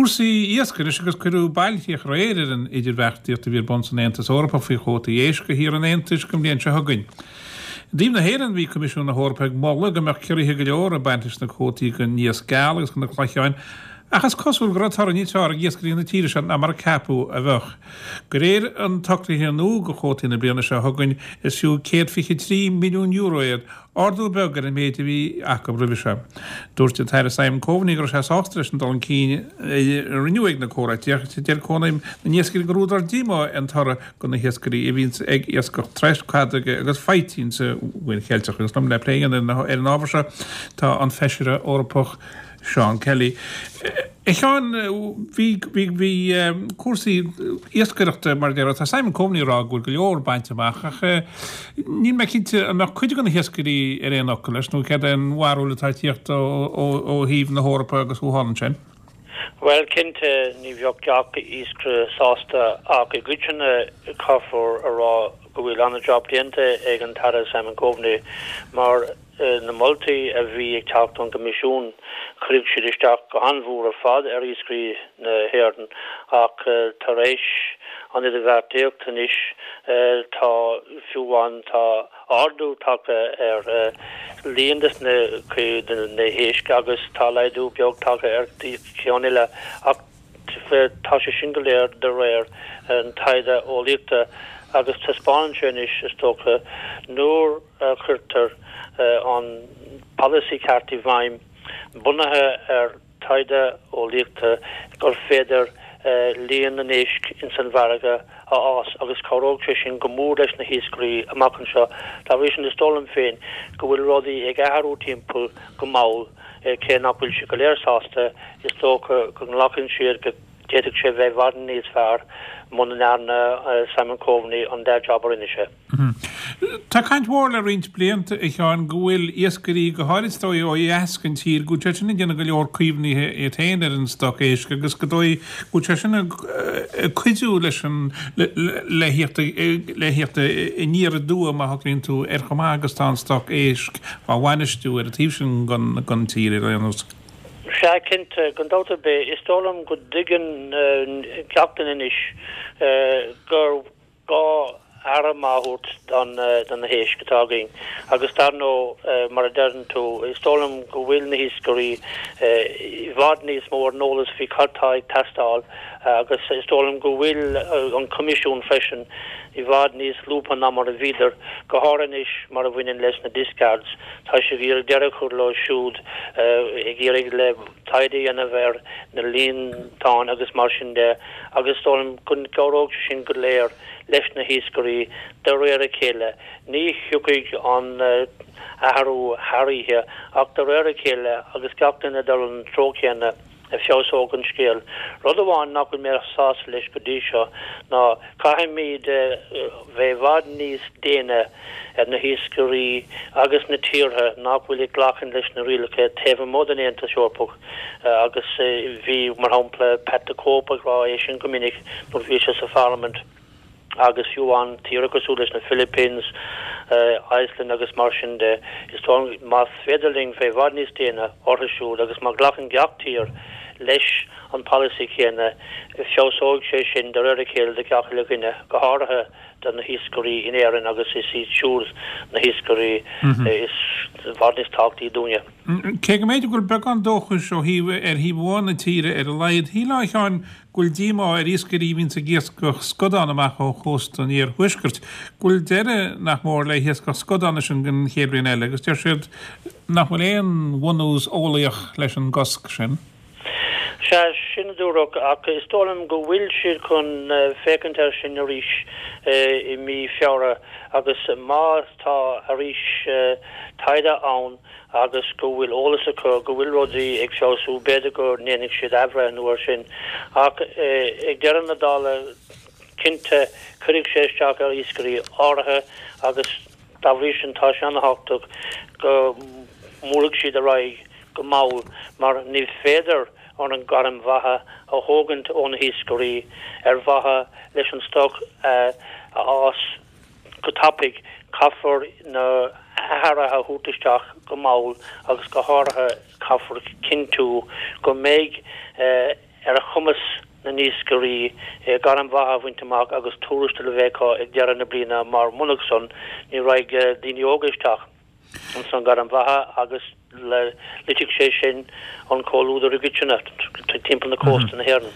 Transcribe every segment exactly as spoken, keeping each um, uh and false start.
Cúrsaí iascaigh anois agus cuireadh bailchríoch aréir ar an idirbheartaíocht a bhí ar bun san Aontas Eorpach faoi chuótaí éisc do thíortha an Aontais don bhliain seo chugainn. I dtaobh na hÉireann bhí Coimisiún na hEorpa ag moladh go mbeadh ciorruithe go leor ag baint leis na cuótaí don iasc geal agus do na cloicheáin ach is cosúil go raibh toradh níos fearr ag iascairí na tíre seo ná mar a ceapadh a bheadh. De réir an tsocraithe nua do chuótaí na bliana seo chugainn is fiú céad fiche trí milliún euro iad, ardú beag ar an méid a bhí acu roimhe seo. Dúirt an tAire Simon Coveney go raibh sé sásta leis an dul chun cinn a rinneadh ag na comhráití ach deir Cónaidhm na nIascairí gur údar díomá é an toradh do na hiascairí a bhíonns ag iascach troisc, cadóige agus faightean sa Mhuir Cheilteach. Agus liom le plé a dhéanamh ar an ábhar seo tá an Feisire Eorpach Seán Kelly. A Sheáin, bhí bhí bhí cúrsaí iascaireachta mar a déarfá, tá Simon Coveney ag rá go bhfuil go leor bainte amach ach níl mé cinnte an mbeadh cuid de na hiascairí ar aon fhocal leis nó céard é an bharúil atá ag tíocht ó ó thaobh na hEorpa agus ó thall ansin. Bhuel, cinnte ní bheadh gach iascaire sásta ach i gcoitinne caithfear a rá go bhfuil an-jab déanta ag an tAire Simon Coveney mar na moltaí a bhí ag teacht ón gCoimisiún, chuirfeadh siad isteach go han-mhór ar fad ar iascairí na hÉireann ach tar éis an idirbheartaíocht anois tá fiú amháin tá ardú tagtha ar líon des na na héisc agus tá laghdú beag tagtha ar cheann eile ach tá sé sin go léir de réir an taighde eolaíochta agus taispeánann sé anois is dócha nuair a chuirtear an polasaí ceart i bhfeidhm bunaithe ar taighde eolaíochta gur féidir líon na n-éisc ins an bhfarraige a fhás agus cabhróidh sé sin go mór leis na hiascairí amach anseo. Dá bhrí sin is dóigh liom féin go bhfuil rudaí ag athrú timpeall go mall cé nach bhfuil siad go léir sásta is dócha go nglacann siad go d'fhéadfadh sé bheith i bhfad níos fearr muna ndearna Simon Coveney an dea-job a rinne sé. Tá caint mhór le roinnt blianta a Sheáin go bhfuil iascairí go háirid is dóigh ó dheas den tír go bhfuil sé sin ag déanamh go leor caomhnaithe iad féin ar an stoc éisc agus go dóigh go bhfuil sé sin ag cuidiú leis an le theacht le theacht aniar aduaidh má shocraíonn tú ar chomh maith agus tá an stoc éisc á bhainistiú ar an taobh sin den tír ar aon nós. Sea, cinnte, gan dabht ar bith, is dóigh liom go dtuigeann gach duine anois gur gá aire maith a thabhairt do na héisc atá againn agus dar ndóigh, mar a deireann tú, is dóigh liom go bhfuil na hiascairí i bhfad níos mó ar an eolas faoi cad tá ag teastáil agus is dóigh liom go bhfuil an Coimisiún freisin i bhfad níos lúbtha ná mar a bhíodar, go háirithe anois mar a bhaineann leis na discards. Tá siad ag iarraidh deireadh a chur leo siúd, ag iarraidh le taighde a dhéanamh ar na líontáin agus mar sin de agus is dóigh liom go gcabhróidh sé sin go léir leis na hiascairí de réir a chéile. Ní thiocfaidh an t-athrú thar oíche ach de réir a chéile agus gach duine ag dul an treo céanna, feabhsóidh an scéal. Rud amháin nach bhfuil mé sásta leis go dtí seo ná caithfimid bheith i bhfad níos déine ar na hiascairí agus na tíortha nach bhfuil ag glacadh leis na rialacha taobh amuigh den Aontas Eorpach agus bhí, mar shampla, Pat the Cope ag rá é sin go minic nuair a bhí sé sa Pharlaimint. agus fiú amháin tíortha cosúil leis na Philippines, Iceland agus mar sin de, is dóigh liom más féidir linn bheith i bhfad níos déine orthu siúd agus má ghlacann gach tír leis an polasaí céanna, feabhsóidh sé sin de réir a chéile do gach uile dhuine, go háirithe do na hiascairí in Éirinn agus is iad siúd na hiascairí is i bhfad níos tábhachtaí dúinne. Cé go mb'fhéidir go bhfuil beagán dóchais ó thaobh ar thaobh amháin na tíre ar a laghad, shílfeá a Sheáin go bhfuil díomá ar iascairí a bhíonns ag iascach scadán amach ó chósta an iarthuaiscirt, go bhfuil deireadh nach mór le hiascach scadán ansin don chéad bhliain eile agus deir siad nach bhfuil aon bhunús eolaíoch leis an gcosc sin. Sea, sin a dúradh, ach is dóigh liom go bhfuil siad chun féachaint air sin arís i mí Feabhra agus má tá arís taighde ann agus go bhfuil eolas acu go bhfuil rudaí ag feabhsú, b'fhéidir go ndéanfaidh siad athbhreithniú air sin. Ach ag deireadh na dála, cinnte, cuirfidh sé isteach ar iascairí áirithe agus dá bhrí sin tá sé an-thábhachtach go mbuailfidh siad ar aghaidh go mall mar ní féidir an ghairm bheatha a thógaint ó na hiascairí ar mhaithe leis an stoc a fhás. Go tapaidh, caithfear na hathruithe a thabhairt isteach go mall agus go háirithe caithfear cinntiú go mbeidh ar chumas na n-iascairí gairm bheatha a bhaint amach agus tuarastal a bheith acu ag deireadh na bliana mar murach san ní raghaidh daoine óga isteach insan ghairm bheatha agus loitfidh sé sin an comhluadar i gcoitinne timpeall na cósta na hÉireann.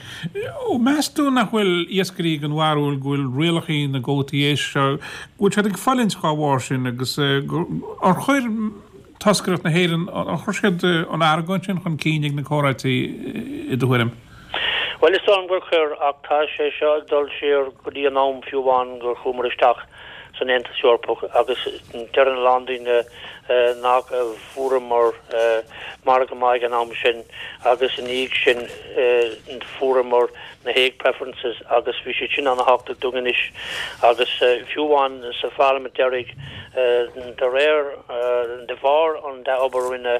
Meas tú nach bhfuil iascairí den bharúil go bhfuil rialacha na gcuótaí éisc seo, go bhfuil siad ag fulaingt dá bharr sin agus ar chuir toscaireacht na hÉireann, ar chuir siad an argóint sin chun cinn ag na comhráití i do thuairim? Bhuel, is dóigh liom gur chuir, ach tá sé seo ag dul siar go dtí an am fiú amháin gur chuamar isteach san Aontas Eorpach agus deireann a lán daoine nach bhfuaireamar margadh maith ag an am sin agus ina dhiaidh sin fuaireamar na hegg preferences agus bhí siad sin an-thábhachtach dúinn anois agus fiú amháin sa pharlaimint deiridh de réir de bharr an dea-obair a rinne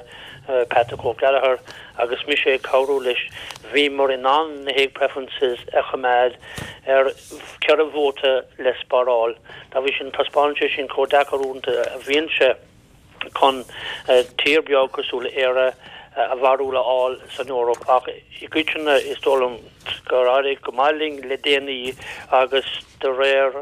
Pat the Cope Gallagher agus mise ag cabhrú leis, bhíomar in ann na hegg preferences a choimeád ar ceithre vóta le spáráil. Dá bhrí sin, taispeánann sé sin chomh deacair uaireanta a bhíonn sé chun tír beag cosúil le Éire a bharúil a fháil san Eoraip ach i gcoitinne is dóigh liom gur éirigh go maith linn le déanaí agus de réir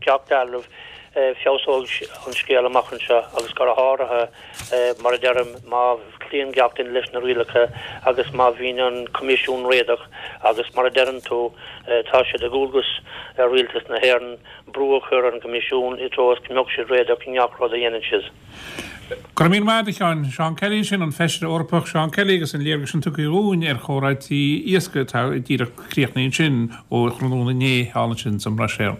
gach dealraimh feabhsóidh an scéal amach anseo agus go háirithe, mar a deirim, má chloíonn gach duine leis na rialacha agus má bhíonn an Coimisiún réadach agus mar a deireann tú, tá sé de dhualgas ar Rialtas na hÉireann brú a chur ar an gCoimisiún i dtreo is go mbeadh siad réadach i ngach rud a dhéanann siad. Go raibh míle maith agat, a Sheáin. Seán Kelly ansin, an Feisire Eorpach Seán Kelly agus an léargas sin tugtha dhúinn ar chomhráití iascaigh atá díreach críochnaithe ansin ó thráthnóna inné thall ansin sa mBruiséil.